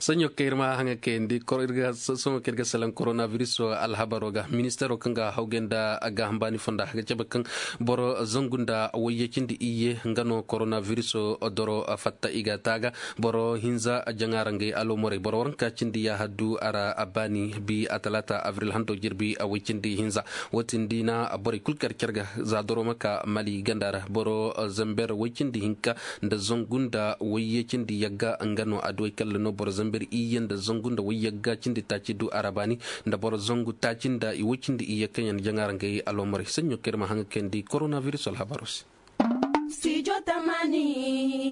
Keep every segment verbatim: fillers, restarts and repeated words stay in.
Saɲo kaŋ ir ma haŋa kayandi ir ga salaŋ korona biris alhabaro ga ministeero kaŋ ga hawgay nda gaaham baani fonda ga cabe kaŋ boro zangu nda wayye cindi iyye nga no korona biris doro fatta i ga taaga. Boro hinza jaŋaarangay alomorey boro waranka cindi ya haddu a ra a baani bi a talaata abril hando jirbi a way cindi hinza. Wo- din di na borey kulu kar care ga za doro ma ka mali ganda ra boro zamber way cindi hinka nda zangu nda wayye cindi yagga nga no adduwey kalla no boro zamber iyye nda zangu nda way yagga cindi taaci du a ra baani nda boro zangu taaci nda i way cindi iyye kaŋ yaŋ jaŋaarangay alomorey saɲɲo kaŋ ir ma haŋa kayandi korona biris alhabaro se.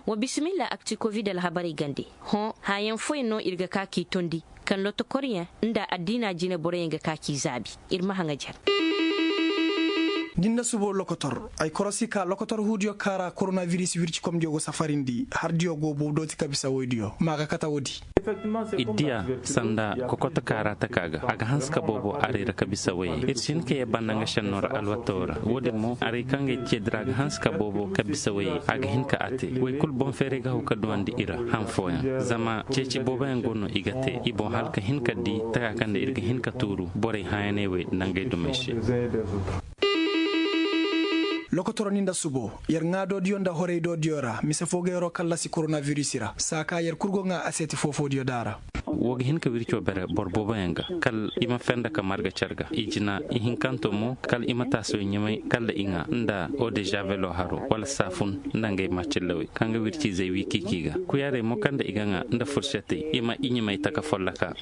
Wa bisimilla akti kovid alhabarey gande. Hõ hãyaŋ fooyaŋ no ir ga ka k'i tondi kaŋ lotokoryaŋ nda addiina jine boroyaŋ ga ka k'i zaabi. Ir ma haŋa jar. Din na subo lokotor ay korosi ka lokotor huudiyo kaŋ ra koronabiris wircikomdiyo go safarindi hardiyo go bow dooti ka bisa woydiyo ma ga kate woodi. Iddiya sanda kokoto kaŋ a ra taka ga a ga hanse ka boobo aray ra ka bisa wayey ir si hin ka yee banda nga šennoo ra alwatoo ra. Woodin mo aray kaŋ ga ay ceedi ra a ga hanse ka boobo ka bisa wayey a ga hin ka a te. Way kulu boŋ feeray ga haw ka duwandi i ra han fooyaŋ zama ceeci booboyaŋ go no i ga te i boŋ hala ka hin ka di taka kaŋ nda ir ga hin ka tuuru borey hãyaney wey nda ngey dumey se. Lokotoroni nda subo yer ŋaadoodiyo nda horaydoodiyo ra mise foo ga yeroo kallasi koronabiris ra saa ka yer kul go ŋaa aseeti foofoodiyo da a ra. Woo ga hin ka wircoo bere boro booboyaŋ ga kala i ma fenda ka marga car ga i jina ihinkanto mo kala i ma taasoo ɲamay kala i ŋaa nda odezabelo haroo wala saafun nda ngey maacillawey kaŋ ga wirciizey wiikiiki ga kuyaarey mo kaŋ nda i ga ŋaa nda fursetey i ma i ɲamay taka folloka.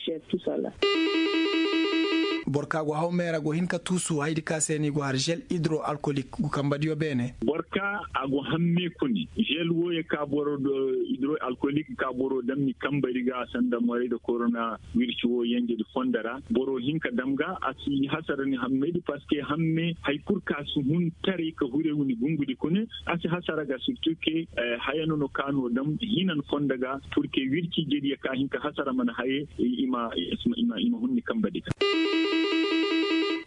Boro ka go haw mee ra go hin ka tuusu haydi ka se ni go har žel hidro alkolik gu kambadiyo beene. Boro ka a go hamme kuni žel wooyo ka boro do hidro alkolik ka boro dam ni kambadi ga sanda moray da korona wirci woo yenjedi fondo ra boro hin ka dam ga a si hasara ni hammedi parceque hamme hari kul ka si hun taray ka huray wuni gungudi kuni a si hasara ga surtout ke haya no no ka no dam hinan fondo ga. Purke wirci jediyo ka hin ka hasara mana haye i ma hunni kambadi ga.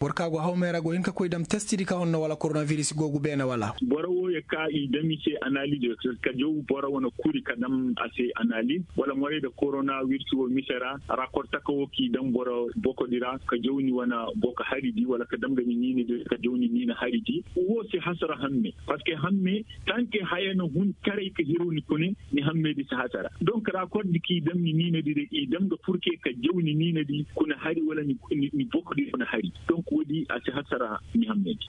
Boro ka go haw mee ra go hin ka koy dam testidi ka honno wala koronabiris go gu beene wala. Boro wooyo ka i dam i se analiz ka jaw boro wane kuri ka dam a se analiz wala moray da korona wirci woo mise ra rakor taka woo k'i dam boro bokodi ra ka jaw ni wane boko haridi wala ka dam ga ni niinadi ka jaw ni niina haridi. Woo si hasara hamme parceque hamme tanke haya na hun taray ka hiru ni kune ni hammedi si hasara donc rakor di k'i dam ni niinadi ra i dam ga purke ka jaw ni niinadi kuna hari wala ni bokodi kuna hari. Donc woodi a si hasara ni hammedi.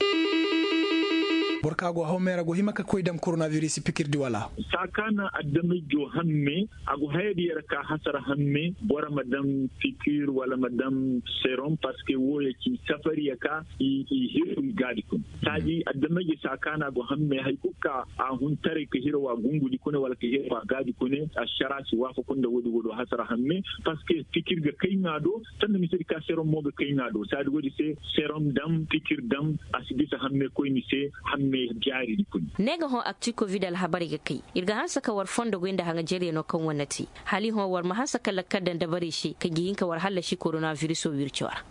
Boro ka go haw mee ra go hima ka koy dam koronabiris pikirdi wala. Saa ka na adamay joo hamme a go hayadi yer ka hasara hamme boro ma dam pikir wala ma dam serom parceque wooyo ci safariya ka i hiru i gaadi kun. Saadi adamay joo saa ka na go hamme hari kul ka a hun taray ka hira wa gungudi kune wala ka hira wa gaadi kune ašara si waafaku nda woodi woodi hasara hamme. Parceque pikir ga kay ŋaa do sanda misedi ka serom mo ga kay ŋaa do saadi woodi se serom dam pikir dam a si bisa hamme koyni se hamme jaaridi kuni. Ne ga hõ akti kovid alhabarey ga kay ir ga hanse ka war fondo goy nda haŋajeryanoo kaŋ war na te hala i hõ war ma hanse ka lakkal daŋ dabarey se kaŋ ga hin ka war hallasi koronabirisoo wircoo ra.